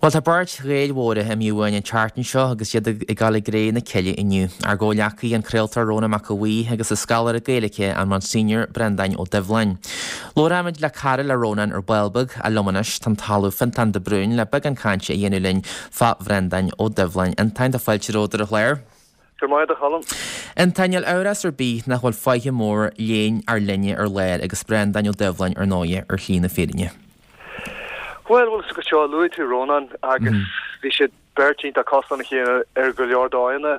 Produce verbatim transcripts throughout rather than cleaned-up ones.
Bhuel, tá beirt Ghaeil mhóra imithe uainn an tseachtain seo agus iad ag dul i gcré na cille inniu. Ár gcomhghleacaí, an craoltóir Rónán Mac Aodha Bhuí agus an scoláire Gaeilge, an Monsignor Breandán Ó Doibhlin. Labhróimid le cara le Rónán ar ball beag, ach liom anois tá an tOllamh Fionntán de Brún le beagán cainte a dhéanamh linn fá Bhreandán Ó Doibhlin. Fhionntáin, tá fáilte romhat ar an chlár. Go raibh maith agat, a Choilm. Fhionntáin, níl amhras ar bith nach bhfuil faiche mór léinn ár linne ar lár agus Breandán Ó Doibhlin ar ndóighe ar shlí na fírinne. Bhuel, bhfuil a fhios agat seo, luaigh tú Rónán agus bhí siad beirt iontach cosúil lena chéile ar go leor dóigheanna,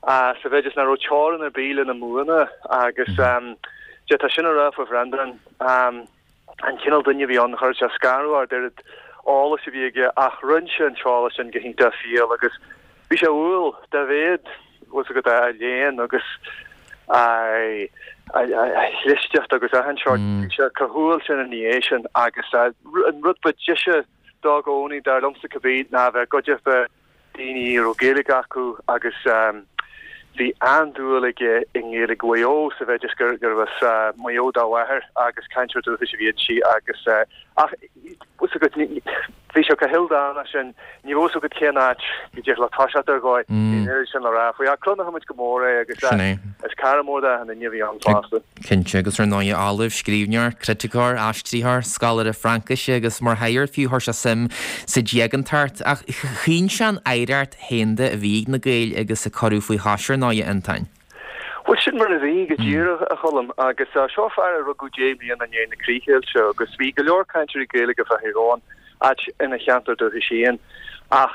sa mhéid is nach raibh teorainn ar bith lena mbuanna agus d'fhéadfá sin a rá faoi Bhreandán. An cineál duine a bhí ann, chuirfeadh sé scanradh ort oiread eolais a bhí aige ach roinn sé an t-eolas sin go hiontach fial agus bhí sé umhal dá mhéad, bhfuil a fhios agat, a léann agus a chlisteacht agus achan seort. Bhí sé chomh humhal sin ina dhiaidh sin agus an rud ba deise dó i gcónaí, dar liomsa cibé, ná a bheith i gcuideachta daoine a raibh Gaeilge acu agus bhí an-dúil aige i nGaeilge Mhaigh Eo sa mhéid is gurbh as Maigh Eo dá mháthair agus cainteoir dúchais a bhí inti agus ach bhfuil a fhios agat, bhí sé chomh hildánach sin, ní raibh a fhios agat cén áit go dtig leat toiseacht ar dhóigh, bhí an oiread sin le rá faoi. Ach cronóimid go mór é agus is cara mór d'achan duine a bhí ann fosta. Cinnte, agus ar ndóigh, ollamh, scríbhneoir, criticeoir, aistritheoir, scoláire Fraincise agus mar shaor fiú chuir sé suim sa diagantacht. Ach chaoin sé an oidhreacht shaonda a bhí ag na Gaeil agus a cuireadh faoi chois ar ndóigh, a Fhionntáin. Bhuel, sin mar a bhí, go díreach, a Choilm. Agus seo fear a rugadh deich mbliana i ndiaidh na críochdheighilte agus bhí go leor cainteoirí Gaeilge fá Thír Eoghain, áit ina cheantar dúchais féin. Ach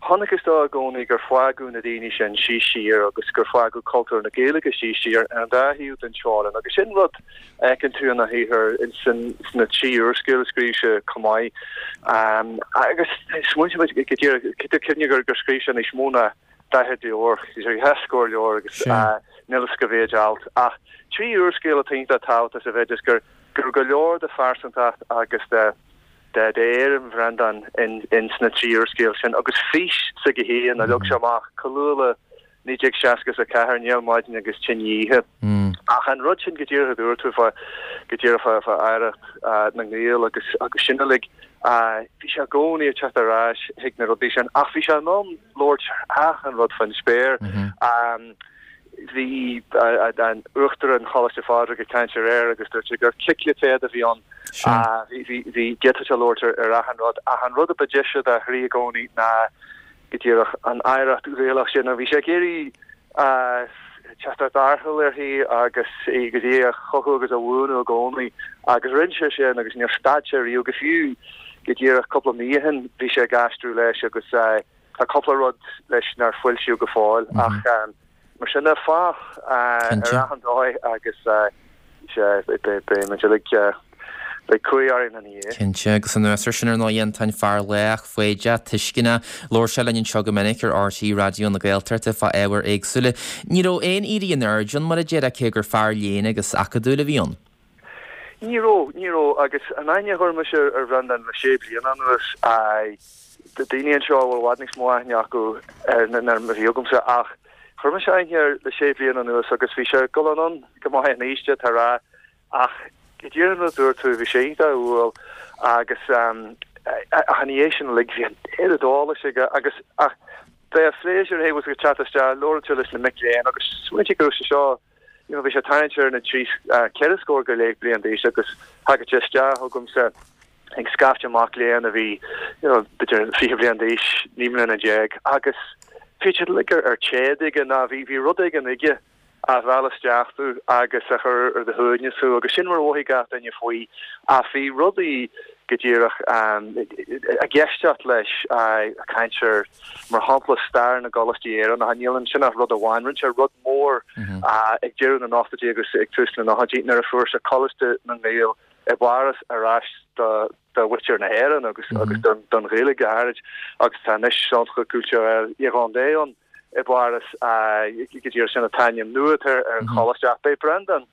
chonacthas dó i gcónaí gur fágadh na daoine sin síos siar agus gur fágadh cultúr na Gaeilge síos siar ar an dá thaobh den teorainn. Agus sin rud a fheiceann tú ina shaothar sna trí úrscéal a scríobh sé chomh maith. Agus smaointigh muid go díreach, cuimhnigh gur scríobh sé níos mó ná daichead leabhar, dhá scór leabhar agus níl fhios cá mhéid alt. Ach trí úrscéal atá iontach tábhachtach sa mhéid is gur raibh go leor de phearsantacht agus de d'éirim Bhreandáin in sna trí úrscéal sin agus fís s'aige féin a leag sé amach chomh luath le naoi déag seasca is a ceathair, Néal Maidine agus Tine Oíche. Ach an rud sin go díreach a dúirt tú fá go díreach fá fá oidhreacht na nGael agus agus sin uilig, bhí sé i gcónaí ag teacht ar ais chuig na rudaí sin ach bhí sé in ann labhairt ar achan rud faoin spéir. Bhí an Uachtarán Choláiste Phádraig ag caint aréir agus dúirt sé gur ciclipéad a bhí ann. Bhí d'fhéadfadh sé labhairt ar achan rud ach an rud a ba deise dá chroí i gcónaí ná go díreach an oidhreacht Ghaelach sin a bhí sé ag iarraidh teacht ar tharrtháil uirthi agus agus í a chothú agus a bhuanú i gcónaí agus rinne sé sin agus níor stad sé riamh go fiú go díreach cúpla mí ó shin bhí sé ag aistriú leis agus tá cúpla rud leis nár foilsíodh go fóill ach mar sin de fách ar achan dóigh agus beidh muid uilig beidh cumhaidh orainn ina dhiaidh. Cinnte, agus anuas air sin ar ndóigh Fhionntáin fear lách, foighdeach, tuisceanach. Labhair sé linn anseo go minic ar RTÉ Raidió na Gaeltachta fá ábhair éagsúla. Ní raibh aon éirí in airde ann mar a déarfá cé gur fear léinn agus acadúil a bhí ann. Ní raibh, ní raibh agus an aithne a chuir mise ar Bhreandán le sé bliana anuas, daoine anseo a bhfuil i bhfad níos mó aithne acu air ná mar a bhí agamsa ach chuir mise aithne air le sé bliana anuas agus bhí sé ag dul anonn go maith in aois, d'fhéadfá a rá, ach go díreach mar a dúirt tú, bhí sé iontach umhal agus ach ina dhiaidh sin uilig bhí an oiread eolais aige agus ach bheadh pléisiúr é ag teacht isteach, labhairt leis na mic léinn agus smaointigh go raibh sé seo you know, bhí sé ag tarraingt ar na trí, ceithre scór go leith bliain d'aois agus thagadh sé isteach chugamsa ag scaifte mac léinn a bhí, you know, b'fhéidir fiche bliain d'aois, naoi mbliana déag agus bhí siad uilig ar, ar téad aige ná bhí, bhí rud éigin aige a mheall isteach tú agus a chuir ar do shuaimhneas thú agus sin mar a mhothaigh gach duine faoi ach bhí rudaí go díreach ag éisteacht leis ag caint ar, mar shampla, stair na gcoláistí Éireannacha. Níl ansin ach rud amháin. Rinne sé rud mór ag deireadh na n-ochtóidí agus ag tús na nóchaidí nuair a fuair sé Coláiste na nGael i bPáras ar ais do mhuintir na hÉireann agus don Ghaeilge go háirid agus tá anois Centre Culturel Irlandais ann i bPáras go díreach sin an t-ainm nua atá ar an choláiste ach b'é Breandán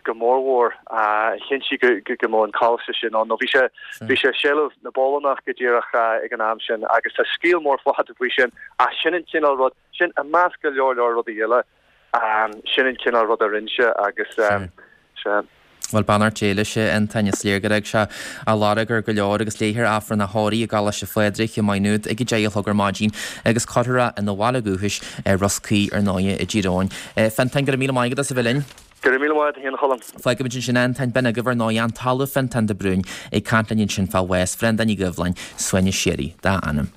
go mórmhór a chinntigh go mbeadh an coláiste sin ann nó bhí sé bhí sé i seilbh na bPolannach go díreach ag an am sin agus tá scéal mór fada faoi sin ach sin an cineál rud sin i measc go leor leor rudaí eile sin an cineál rud a rinne sé agus sea. Bhuel beannacht Dé leis, a Fhionntáin, is léir gur fhág sé a lorg ar go leor agus léifear Aifreann a thórraimh i gColáiste Phádraig i Maigh Nuad ag a deich a chlog ar maidin agus cuirfear é ina bhaile dúchais ar Ros Caoi ar ndóighe i dTír Eoghain. Fionntán, go raibh míle maith agat as a bheith linn. Go raibh míle maith agat féin a Choilm. Fágfaimid ansin é, Fionntán, b'in agaibh ar ndóighe an tOllamh Fionntán de Brún ag caint linn ansin fá bhás Bhreandáin Uí Dhoibhleáin, suaimhneas síoraí dá anam.